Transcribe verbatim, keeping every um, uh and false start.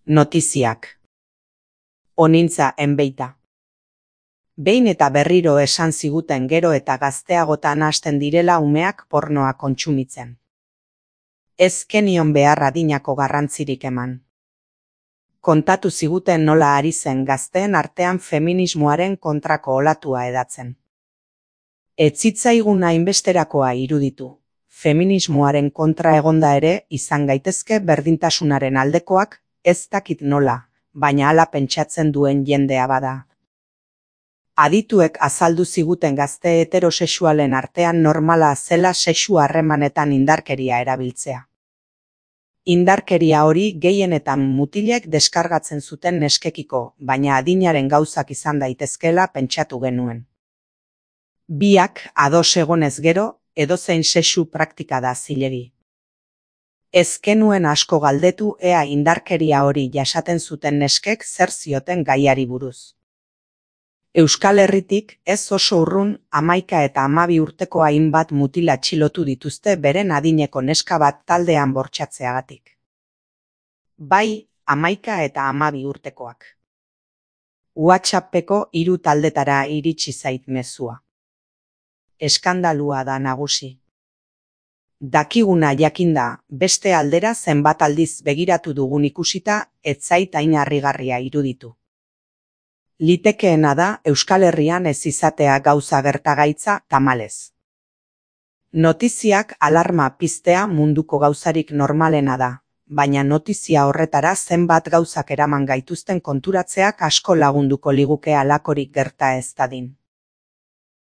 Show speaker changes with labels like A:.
A: Notiziak. Onintza enbeita. Behin eta berriro esan ziguten gero eta gazteagotan hasten direla umeak pornoa kontsumitzen. Ez kenion behar adinako garrantzirik eman. Kontatu ziguten nola ari zen gazteen artean feminismoaren kontrako olatua edatzen. Ez zitzaigun hainbesterakoa iruditu. Feminismoaren kontra egonda ere izan gaitezke berdintasunaren aldekoak, ez dakit nola, baina hala pentsatzen duen jendea bada. Adituek azaldu ziguten gazte heterosexualen artean normala zela sexu harremanetan indarkeria erabiltzea. Indarkeria hori gehienetan mutilek deskargatzen zuten neskekiko, baina adinaren gauzak izan daitezkeela pentsatu genuen. Biak ados egonez gero, edozein sexu praktika da zilegi. Ez genuen asko galdetu ea indarkeria hori jasaten zuten neskek zer zioten gaiari buruz. Euskal Herritik ez oso urrun hamaika eta hamabi urteko hainbat mutil atxilotu dituzte beren adineko neska bat taldean bortxatzeagatik. Bai, hamaika eta hamabi urtekoak. WhatsAppeko hiru taldetara iritsi zait mezua. Eskandalua da nagusi. Dakiguna jakinda, beste aldera zenbat aldiz begiratu dugun ikusita, ez zait hain harrigarria iruditu. Litekeena da Euskal Herrian ez izatea gauza gertagaitza tamalez. Notiziak alarma piztea munduko gauzarik normalena da, baina notizia horretara zenbat gauzak eraman gaituzten konturatzeak asko lagunduko liguke halakorik gerta ez dadin.